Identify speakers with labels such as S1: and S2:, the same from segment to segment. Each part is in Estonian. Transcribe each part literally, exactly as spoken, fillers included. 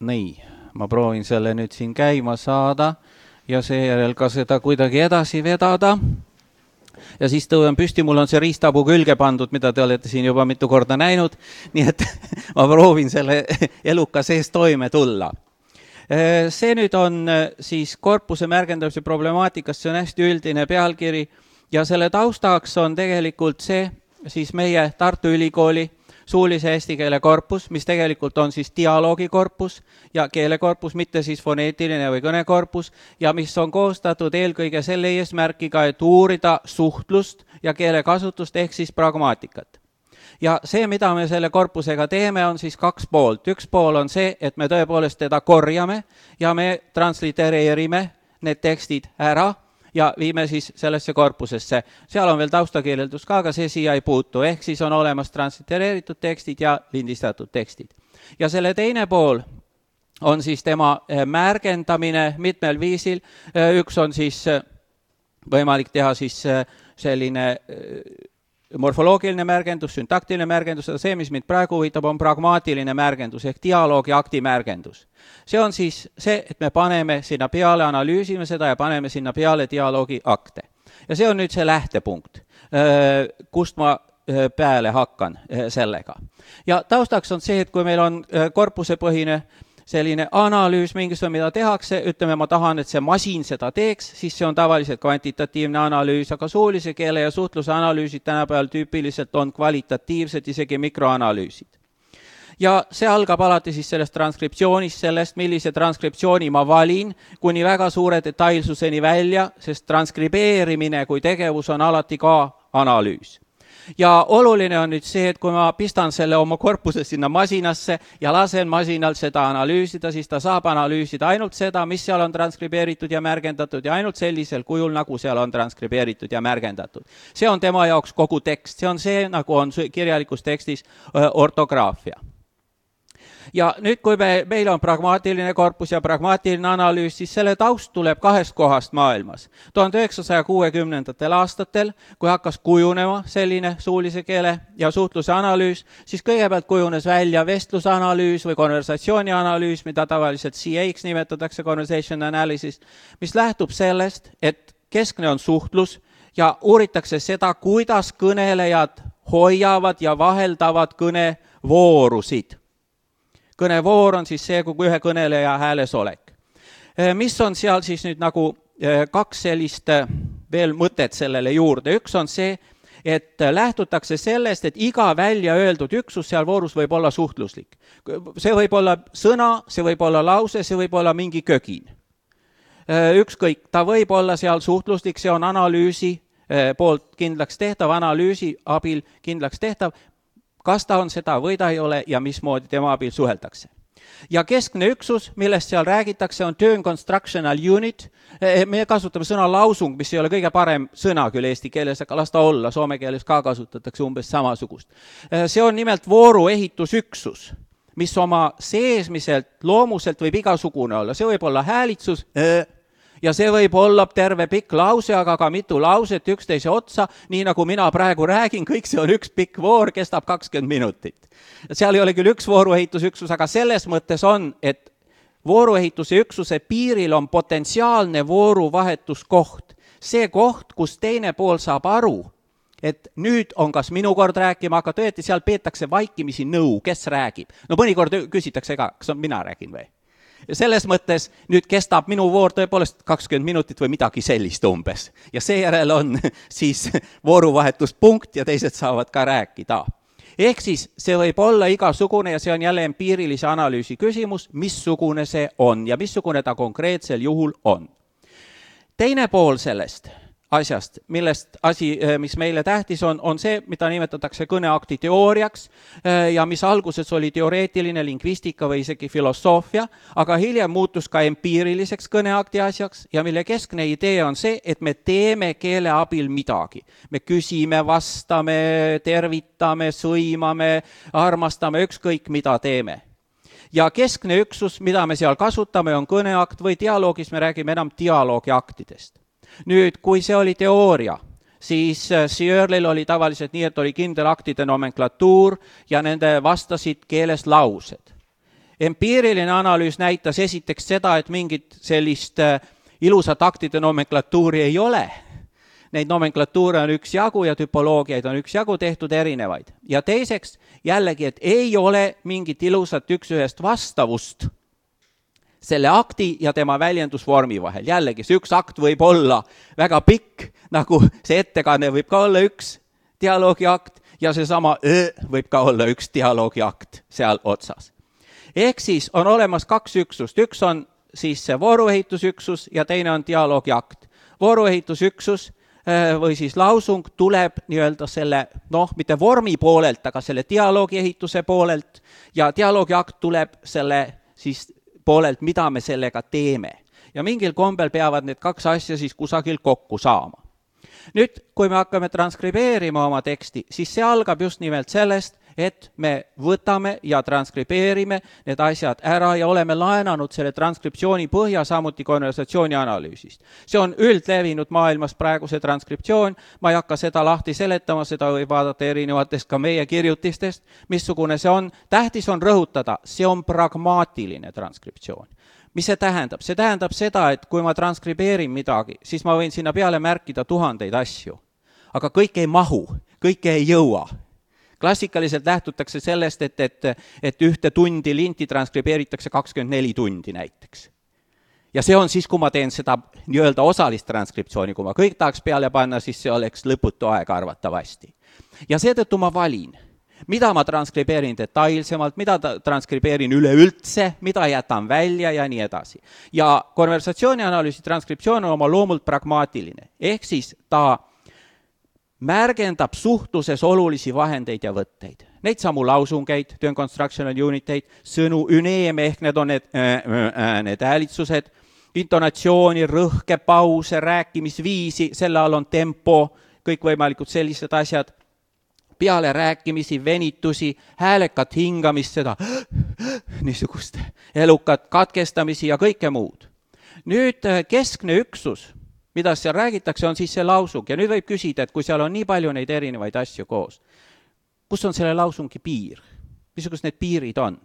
S1: nii, ma proovin selle nüüd siin käima saada ja seejärel ka seda kuidagi edasi vedada. Ja siis tõuan püsti, mul on see riistapuu külge pandud, mida te olete siin juba mitu korda näinud, nii et ma proovin selle eluka sees toime tulla. See nüüd on siis korpuse märgendamise problemaatikast, see on hästi üldine pealkiri ja selle taustaks on tegelikult see siis meie Tartu Ülikooli suulise eesti keele korpus, mis tegelikult on siis dialoogikorpus ja keelekorpus, mitte siis foneetiline või kõnekorpus ja mis on koostatud eelkõige selle eesmärkiga, et uurida suhtlust ja keelekasutust ehk siis pragmaatikat. Ja see, mida me selle korpusega teeme, on siis kaks poolt. Üks pool on see, et me tõepoolest teda korjame ja me translitereerime need tekstid ära ja viime siis sellesse korpusesse. Seal on veel taustakirjeldus ka, aga see siia ei puutu. Ehk siis on olemas translitereeritud tekstid ja lindistatud tekstid. Ja selle teine pool on siis tema märgendamine mitmel viisil. Üks on siis võimalik teha siis selline morfoloogiline märgendus, syntaktiline märgendus, see, mis mind praegu huvitab, on pragmaatiline märgendus ehk dialoogi akti märgendus. See on siis see, et me paneme sinna peale, analüüsime seda ja paneme sinna peale dialoogi akte. Ja see on nüüd see lähtepunkt, kust ma peale hakkan sellega. Ja taustaks on see, et kui meil on korpusepõhine selline analüüs, mingisugune, mida tehakse, ütleme, ma tahan, et see masin seda teeks, siis see on tavaliselt kvantitatiivne analüüs, aga suulise keele ja suhtluse analüüsid tänapäeval tüüpiliselt on kvalitatiivsed, isegi mikroanalüüsid. Ja see algab alati siis sellest transkriptsioonist, sellest, millise transkriptsiooni ma valin, kuni väga suure detailsuseni välja, sest transkribeerimine kui tegevus on alati ka analüüs. Ja oluline on nüüd see, et kui ma pistan selle oma korpuse sinna masinasse ja lasen masinal seda analüüsida, siis ta saab analüüsida ainult seda, mis seal on transkribeeritud ja märgendatud ja ainult sellisel kujul, nagu seal on transkribeeritud ja märgendatud. See on tema jaoks kogu tekst, see on see, nagu on kirjalikus tekstis ortograafia. Ja nüüd, kui me, meil on pragmaatiline korpus ja pragmaatiline analüüs, siis selle taust tuleb kahest kohast maailmas. tuhande üheksasaja kuuekümnendatel aastatel, kui hakkas kujunema selline suulise keele ja suhtluse analüüs, siis kõigepealt kujunes välja vestlusanalüüs või konversatsioonianalüüs, mida tavaliselt C A-ks nimetatakse, conversation analysis, mis lähtub sellest, et keskne on suhtlus ja uuritakse seda, kuidas kõnelejad hoiavad ja vaheldavad kõnevoorusid. Kõnevoor on siis see, kui ühe kõneleja hääles olek. Mis on seal siis nüüd nagu kaks sellist veel mõtet sellele juurde. Üks on see, et lähtutakse sellest, et iga välja öeldud üksus seal voorus võib olla suhtluslik. See võib olla sõna, see võib olla lause, see võib olla mingi kögin. Ükskõik, ta võib olla seal suhtluslik, see on analüüsi poolt kindlaks tehtav, analüüsi abil kindlaks tehtav, kas ta on seda või ta ei ole ja mismoodi tema abil suheldakse. Ja keskne üksus, millest seal räägitakse, on term constructional unit. Me kasutame sõna lausung, mis ei ole kõige parem sõna küll eesti keeles, aga las ta olla, soome keeles ka kasutatakse umbes samasugust. See on nimelt vooruehitusüksus, mis oma seesmiselt, loomuselt võib igasugune olla. See võib olla häälitsus, ja see võib olla terve pikk lause, aga ka mitu lauset üksteise otsa, nii nagu mina praegu räägin, kõik see on üks pikk voor, kestab kakskümmend minutit. Seal ei ole küll üks vooruehitusüksus, aga selles mõttes on, et vooruehituse üksuse piiril on potentsiaalne vooruvahetuskoht. See koht, kus teine pool saab aru, et nüüd on kas minu kord rääkima, aga tõeti seal peetakse vaikimisi nõu, kes räägib. No mõnikord küsitakse ka, kas on mina räägin või? Selles mõttes nüüd kestab minu voor tõepoolest kakskümmend minutit või midagi sellist umbes. Ja seejärel on siis vooruvahetuspunkt ja teised saavad ka rääkida. Ehk siis see võib olla igasugune ja see on jälle empiirilise analüüsi küsimus, missugune see on ja missugune ta konkreetsel juhul on. Teine pool sellest asjast, millest asi, mis meile tähtis on, on see, mida nimetatakse kõneakti teooriaks ja mis alguses oli teoreetiline lingvistika või isegi filosoofia, aga hiljem muutus ka empiiriliseks kõneakti asjaks ja mille keskne idee on see, et me teeme keele abil midagi. Me küsime, vastame, tervitame, sõimame, armastame, ükskõik mida teeme. Ja keskne üksus, mida me seal kasutame, on kõneakt või dialoogis, me räägime enam dialoogiaktidest. Nüüd, kui see oli teooria, siis Searle'il oli tavaliselt nii, et oli kindel aktide nomenklatuur ja nende vastasid keeles laused. Empiiriline analüüs näitas esiteks seda, et mingit sellist ilusat aktide nomenklatuuri ei ole. Neid nomenklatuure on üks jagu ja tüpoloogiaid on üks jagu tehtud erinevaid. Ja teiseks jällegi, et ei ole mingit ilusat üks ühest vastavust selle akti ja tema väljendusvormi vahel. Jällegi, see üks akt võib olla väga pikk, nagu see ettekanne võib ka olla üks dialoogi akt ja seesama öö võib ka olla üks dialoogi akt seal otsas. Ehk siis on olemas kaks üksust. Üks on siis see vooruehitusüksus ja teine on dialoogi akt. Vooruehitusüksus või siis lausung tuleb nii-öelda selle, noh, mitte vormi poolelt, aga selle dialoogi ehituse poolelt ja dialoogi akt tuleb selle siis poolelt, mida me sellega teeme. Ja mingil kombel peavad need kaks asja siis kusagil kokku saama. Nüüd, kui me hakkame transkribeerima oma teksti, siis see algab just nimelt sellest, et me võtame ja transkribeerime need asjad ära ja oleme laenanud selle transkriptsiooni põhja samuti konversatsiooni analüüsist. See on üldlevinud maailmas praegu see transkriptsioon, ma ei hakka seda lahti seletama, seda võib vaadata erinevatest ka meie kirjutistest, missugune see on. Tähtis on rõhutada, see on pragmaatiline transkriptsioon. Mis see tähendab? See tähendab seda, et kui ma transkribeerin midagi, siis ma võin sinna peale märkida tuhandeid asju. Aga kõik ei mahu, kõik ei jõua. Klassikaliselt lähtutakse sellest, et, et, et ühte tundi linti transkribeeritakse kakskümmend neli tundi näiteks. Ja see on siis, kui ma teen seda nii-öelda osalist transkriptsiooni, kui ma kõik tahaks peale panna, siis see oleks lõputu aeg arvatavasti. Ja seetõttu ma valin, mida ma transkribeerin detailsemalt, mida transkribeerin üleüldse, mida jätan välja ja nii edasi. Ja konversatsioonianalüüsi transkriptsioon on oma loomult pragmaatiline. Ehk siis ta märgendab suhtluses olulisi vahendeid ja võtteid. Neid samu lausungeid, tone constructional uniteid, sõnu, üneeme ehk need on need, äh, äh, need häälitsused, intonatsiooni, rõhke, pause, rääkimisviisi, selle all on tempo, kõikvõimalikud sellised asjad, peale rääkimisi, venitusi, häälekat hingamist, seda niisugust elukat katkestamisi ja kõike muud. Nüüd keskne üksus, mida seal räägitakse, on siis see lausung. Ja nüüd võib küsida, et kui seal on nii palju neid erinevaid asju koos, kus on selle lausungi piir? Missugused need piirid on?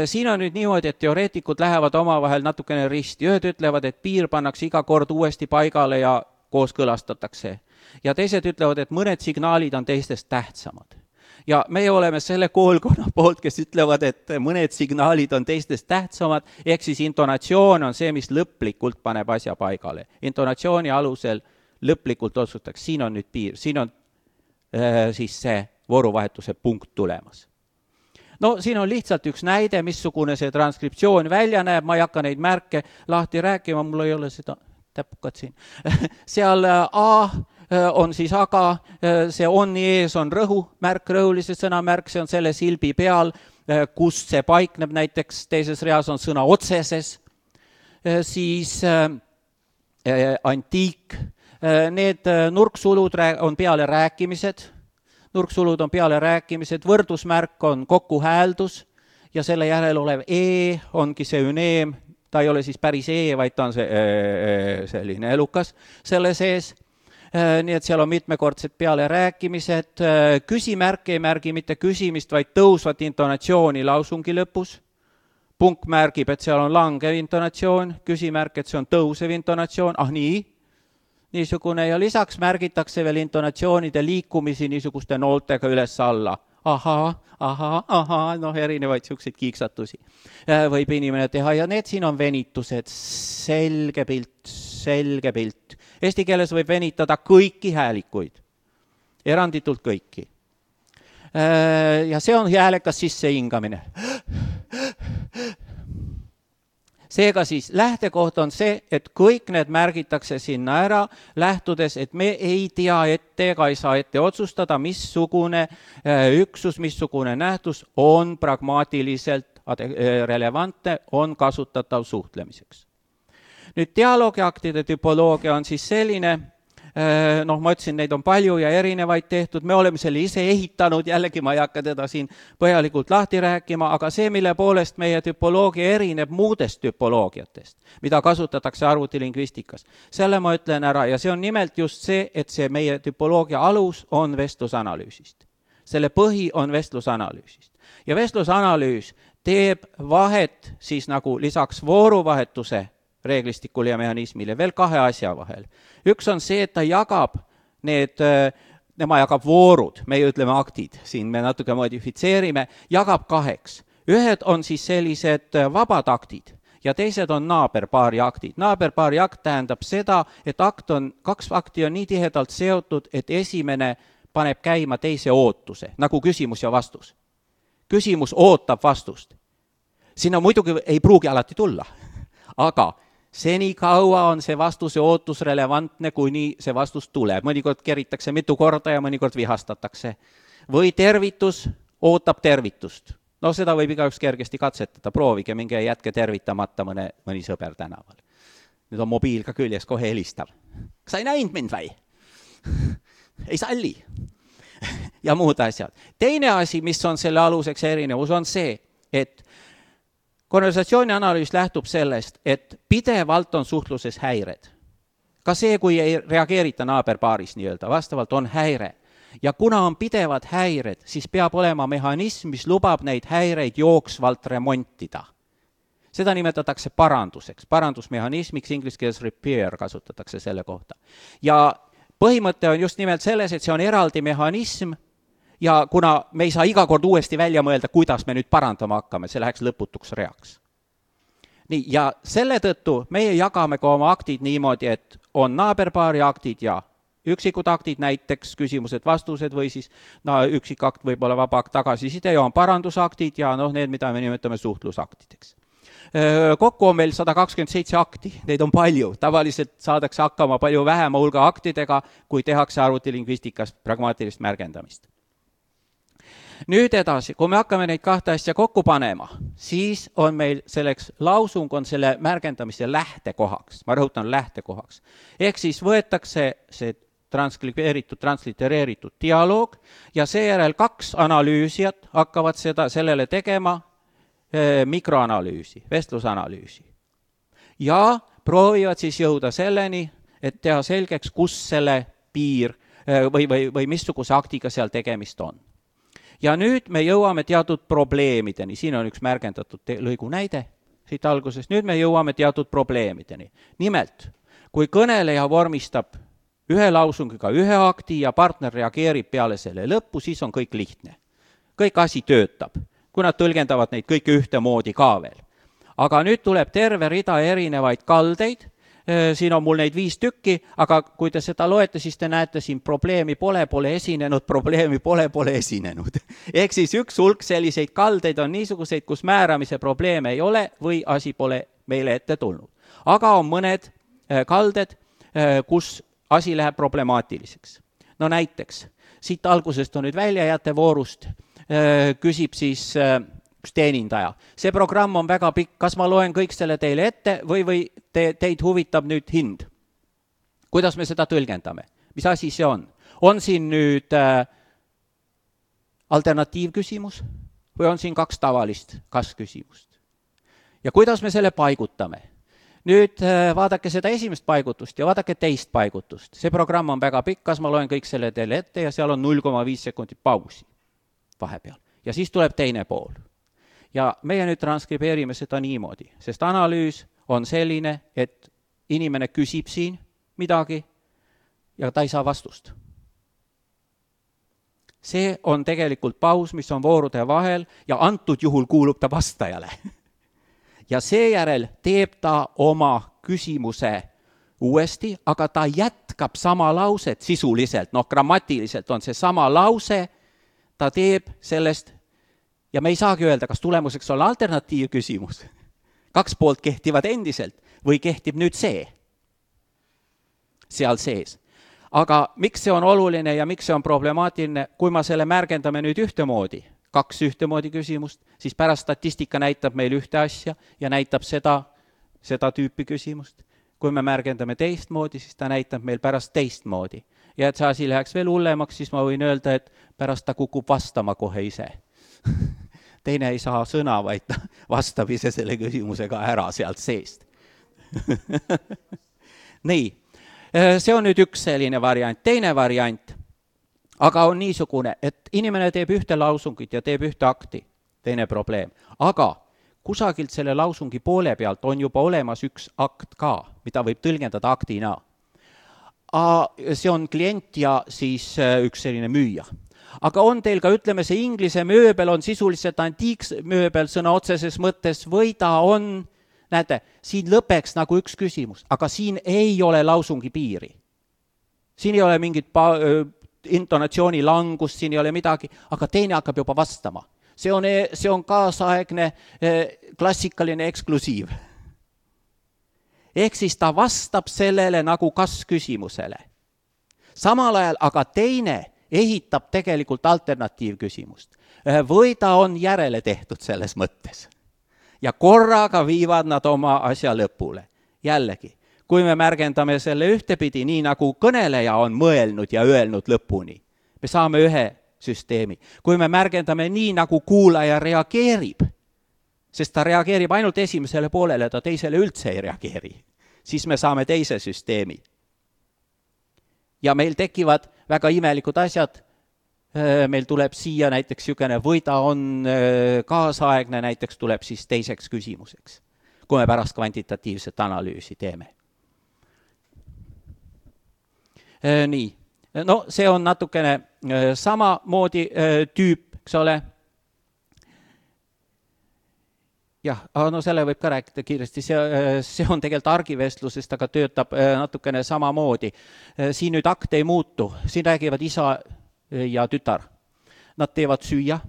S1: Siin on nüüd niimoodi, et teoreetikud lähevad omavahel natukene risti. Ühed ütlevad, et piir pannakse iga kord uuesti paigale ja kooskõlastatakse. Ja teised ütlevad, et mõned signaalid on teistest tähtsamad. Ja meie oleme selle koolkonna poolt, kes ütlevad, et mõned signaalid on teistest tähtsamad, ehk siis intonatsioon on see, mis lõplikult paneb asja paigale. Intonatsiooni alusel lõplikult otsustaks, siin on nüüd piir, siin on äh, siis see vooruvahetuse punkt tulemas. No siin on lihtsalt üks näide, missugune see transkriptsioon välja näeb, ma ei hakka neid märke lahti rääkima, mul ei ole seda täpukat siin. Seal A on siis aga, see onni ees on rõhu märk, rõhulise sõnamärk, see on selle silbi peal, kus see paikneb, näiteks teises reas on sõna otseses, siis antiik, need nurksulud on peale rääkimised, nurksulud on peale rääkimised, võrdusmärk on kokkuhääldus ja selle järel olev E ongi see üneem, ta ei ole siis päris E, vaid ta on see, selline elukas selle sees. Nii et seal on mitmekordsed peale rääkimised, küsimärk ei märgi mitte küsimist, vaid tõusvat intonatsiooni lausungi lõpus. Punkt märgib, et seal on langev intonatsioon, küsimärk, et see on tõusev intonatsioon, ah nii, niisugune ja lisaks märgitakse veel intonatsioonide liikumisi niisuguste nooltega üles alla. Ahaa, ahaa, ahaa, noh erinevaid siukseid kiiksatusi võib inimene teha ja need siin on venitused, selge pilt, selge pilt. Eesti keeles võib venitada kõiki häälikuid, eranditult kõiki. Ja see on häälekas sissehingamine. Seega siis lähtekoht on see, et kõik need märgitakse sinna ära, lähtudes, et me ei tea ette ega ei saa ette otsustada, missugune üksus, missugune nähtus on pragmaatiliselt relevantne, on kasutatav suhtlemiseks. Nüüd dialoogiaktide tüpoloogia on siis selline, noh, ma ütlesin, neid on palju ja erinevaid tehtud, me oleme selle ise ehitanud, jällegi ma ei hakka teda siin põhjalikult lahti rääkima, aga see, mille poolest meie tüpoloogia erineb muudest tüpoloogiatest, mida kasutatakse arvutilingvistikas, selle ma ütlen ära ja see on nimelt just see, et see meie tüpoloogia alus on vestlusanalüüsist. Selle põhi on vestlusanalüüsist. ja vestlusanalüüs teeb vahet siis nagu lisaks vooruvahetuse reeglistikule ja mehhanismile veel kahe asja vahel. Üks on see, et ta jagab need, nema jagab voorud, meie ütleme aktid, siin me natuke modifitseerime, jagab kaheks. Ühed on siis sellised vabad aktid ja teised on naaberpaari aktid. Naaberpaari akt tähendab seda, et akt on, kaks akti on nii tihedalt seotud, et esimene paneb käima teise ootuse, nagu küsimus ja vastus. Küsimus ootab vastust. Sinna muidugi ei pruugi alati tulla, aga seni kaua on see vastuse ootus relevantne, kuni see vastus tuleb. Mõnikord keritakse mitu korda ja mõnikord vihastatakse. Või tervitus ootab tervitust. No seda võib igaüks kergesti katsetada, proovige, minge jätke tervitamata mõne, mõni sõber tänaval. Nüüd on mobiil ka küljes, kohe helistab. Kas sa ei näinud mind või? Ei salli. Ja muud asjad. Teine asi, mis on selle aluseks erinevus, on see, et konversatsiooni analüüs lähtub sellest, et pidevalt on suhtluses häired. Ka see, kui ei reageerita naaberpaaris nii-öelda, vastavalt on häire. Ja kuna on pidevad häired, siis peab olema mehhanism, mis lubab neid häireid jooksvalt remontida. Seda nimetatakse paranduseks. Parandusmehhanismiks, inglise keeles repair kasutatakse selle kohta. Ja põhimõte on just nimelt selles, et see on eraldi mehhanism ja kuna me ei saa iga kord uuesti välja mõelda, kuidas me nüüd parandama hakkame, see läheks lõputuks reaks. Nii, ja selle tõttu meie jagame ka oma aktid niimoodi, et on naaberpaari aktid ja üksikud aktid, näiteks küsimused, vastused või siis no, üksik akt võib olla vaba akt tagasiside ja on parandusaktid ja noh, need, mida me nimetame suhtlusaktideks. Kokku on meil sada kakskümmend seitse akti, neid on palju. Tavaliselt saadakse hakkama palju vähema hulga aktidega, kui tehakse arvutilingvistikas pragmaatilist märgendamist. Nüüd edasi, kui me hakkame neid kahte asja kokku panema, siis on meil selleks lausung on selle märgendamise lähtekohaks. Ma rõhutan lähtekohaks. Ehk siis võetakse see transkribeeritud, translitereeritud dialoog ja seejärel kaks analüüsijat hakkavad seda, sellele tegema eh, mikroanalüüsi, vestlusanalüüsi. Ja proovivad siis jõuda selleni, et teha selgeks, kus selle piir eh, või, või, või missuguse aktiga seal tegemist on. Ja nüüd me jõuame teatud probleemideni. Siin on üks märgendatud lõigu näide siit algusest. Nüüd me jõuame teatud probleemideni. Nimelt, kui kõneleja vormistab ühe lausungiga ühe akti ja partner reageerib peale selle lõppu, siis on kõik lihtne. Kõik asi töötab, kui nad tõlgendavad neid kõike ühtemoodi ka veel. Aga nüüd tuleb terve rida erinevaid kaldeid. Siin on mul neid viis tükki, aga kui te seda loete, siis te näete siin probleemi pole, pole esinenud, probleemi pole, pole esinenud. Ehk siis üks hulk selliseid kaldeid on niisuguseid, kus määramise probleeme ei ole või asi pole meile ette tulnud. Aga on mõned kalded, kus asi läheb problemaatiliseks. No näiteks, siit algusest on nüüd väljajäte voorust, küsib siis üks teenindaja. See programm on väga pikk, kas ma loen kõik selle teile ette või, või te, teid huvitab nüüd hind? Kuidas me seda tõlgendame? Mis asi see on? On siin nüüd äh, alternatiivküsimus või on siin kaks tavalist kas-küsimust? Ja kuidas me selle paigutame? Nüüd äh, vaadake seda esimest paigutust ja vaadake teist paigutust. See programm on väga pikk, kas ma loen kõik selle teile ette ja seal on null koma viis sekundit pausi vahepeal. Ja siis tuleb teine pool. Ja meie nüüd transkribeerime seda niimoodi, sest analüüs on selline, et inimene küsib siin midagi ja ta ei saa vastust. See on tegelikult paus, mis on voorude vahel ja antud juhul kuulub ta vastajale. Ja seejärel teeb ta oma küsimuse uuesti, aga ta jätkab sama lauset sisuliselt, noh grammatiliselt on see sama lause, ta teeb sellest. Ja me ei saagi öelda, kas tulemuseks on alternatiivküsimus. Kaks poolt kehtivad endiselt või kehtib nüüd see seal sees. Aga miks see on oluline ja miks see on problemaatiline, kui ma selle märgendame nüüd ühtemoodi, kaks ühtemoodi küsimust, siis pärast statistika näitab meil ühte asja ja näitab seda, seda tüüpi küsimust. Kui me märgendame teistmoodi, siis ta näitab meil pärast teistmoodi. Ja et see asi läheks veel hullemaks, siis ma võin öelda, et pärast ta kukub vastama kohe ise. Teine ei saa sõna, vaid ta vastab ise selle küsimusega ära sealt seest. Nii, see on nüüd üks selline variant. Teine variant, aga on niisugune, et inimene teeb ühte lausungit ja teeb ühte akti. teine probleem. Aga kusagilt selle lausungi poole pealt on juba olemas üks akt ka, mida võib tõlgendada aktina. See on klient ja siis üks selline müüja. Aga on teil ka, ütleme, see inglise mööbel on sisuliselt antiiksmööbel sõna otseses mõttes või ta on, näete, siin lõpeks nagu üks küsimus, aga siin ei ole lausungi piiri. Siin ei ole mingit pa- intonatsiooni langust, siin ei ole midagi, aga teine hakkab juba vastama. See on, see on kaasaegne klassikaline eksklusiiv. Ehk siis ta vastab sellele nagu kas küsimusele. Samal ajal aga teine ehitab tegelikult alternatiivküsimust. Või ta on järele tehtud selles mõttes. Ja korraga viivad nad oma asja lõpule. Jällegi, kui me märgendame selle ühtepidi, nii nagu kõneleja on mõelnud ja öelnud lõpuni, me saame ühe süsteemi. Kui me märgendame nii, nagu kuulaja reageerib, sest ta reageerib ainult esimesele poolele, ta teisele üldse ei reageeri, siis me saame teise süsteemi. Ja meil tekivad väga imelikud asjad, meil tuleb siia näiteks niisugune või ta on kaasaegne, näiteks tuleb siis teiseks küsimuseks, kui me pärast kvantitatiivset analüüsi teeme. Nii, no see on natukene sama moodi tüüp, eks ole. Jah, no selle võib ka rääkida kiiresti, see, see on tegelikult argivestlusest, aga töötab natukene sama moodi. Siin nüüd akt ei muutu, siin räägivad isa ja tütar. Nad teevad süüa,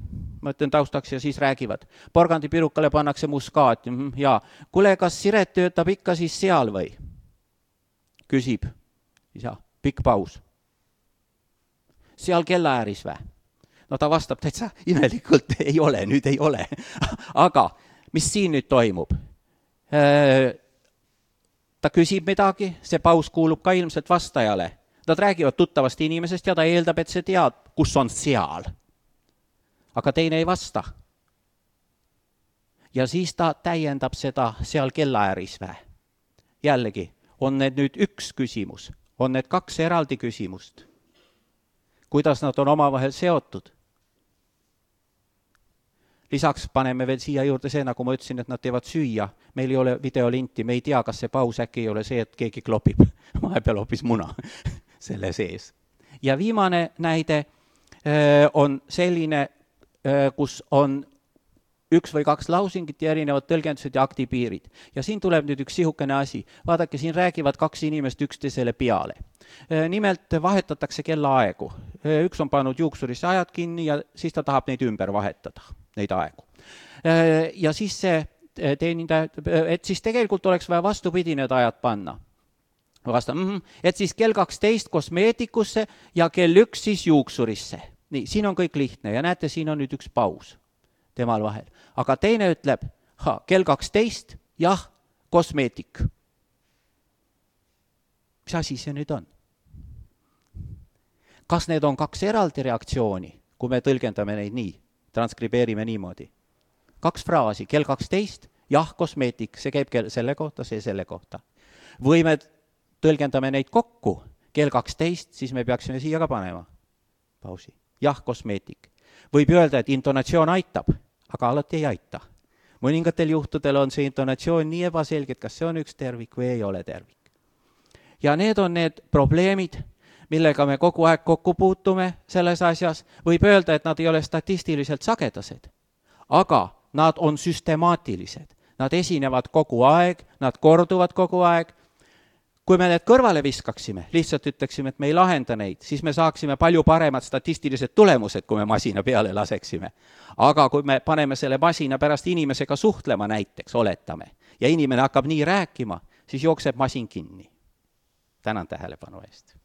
S1: ma ütlen taustaks ja siis räägivad. Porgandipirukale pannakse muskaat ja kule, kas Siret töötab ikka siis seal või? Küsib isa, pikk paus. Seal kellaääris vä? No ta vastab täitsa imelikult, ei ole, nüüd ei ole. Aga mis siin nüüd toimub? Ta küsib midagi, see paus kuulub ka ilmselt vastajale. Nad räägivad tuttavast inimesest ja ta eeldab, et see tead, kus on seal. Aga teine ei vasta. Ja siis ta täiendab seda seal kellaääris vä. Jällegi, on need nüüd üks küsimus, on need kaks eraldi küsimust. Kuidas nad on omavahel seotud? Lisaks paneme veel siia juurde see, nagu ma ütlesin, et nad teevad süüa. Meil ei ole videolinti, me ei tea, kas see paus äkki ei ole see, et keegi klopib. Vahepeal hoopis muna selle sees. Ja viimane näide on selline, kus on üks või kaks lausingit ja erinevad tõlgendused ja aktipiirid. Ja siin tuleb nüüd üks sihukene asi. Vaadake, siin räägivad kaks inimest üksteisele peale. Nimelt vahetatakse kellaaegu. Üks on pannud juuksurisse ajad kinni ja siis ta tahab neid ümber vahetada, neid aegu. Ja siis see teenindaja, et siis tegelikult oleks vaja vastupidi need ajad panna. Vastan, mm-hmm, et siis kell kaksteist kosmeetikusse ja kell üks siis juuksurisse. Nii, siin on kõik lihtne ja näete, siin on nüüd üks paus temal vahel. Aga teine ütleb, ha, kell kaksteist, jah, kosmeetik. Mis asi see nüüd on? Kas need on kaks eraldi reaktsiooni, kui me tõlgendame neid nii, transkribeerime niimoodi? Kaks fraasi, kell kaksteist, jah, kosmeetik, see käib selle kohta, see selle kohta. Või me tõlgendame neid kokku, kell kaksteist, siis me peaksime siia ka panema. Pausi. Jah, kosmeetik. Võib öelda, et intonatsioon aitab, aga alati ei aita. Mõningatel juhtudel on see intonatsioon nii ebaselge, kas see on üks tervik või ei ole tervik. Ja need on need probleemid, millega me kogu aeg kokku puutume selles asjas. Võib öelda, et nad ei ole statistiliselt sagedased, aga nad on süstemaatilised. Nad esinevad kogu aeg, nad korduvad kogu aeg. Kui me need kõrvale viskaksime, lihtsalt ütleksime, et me ei lahenda neid, siis me saaksime palju paremad statistilised tulemused, kui me masina peale laseksime. Aga kui me paneme selle masina pärast inimesega suhtlema näiteks, oletame, ja inimene hakkab nii rääkima, siis jookseb masin kinni. Tänan tähelepanu eest.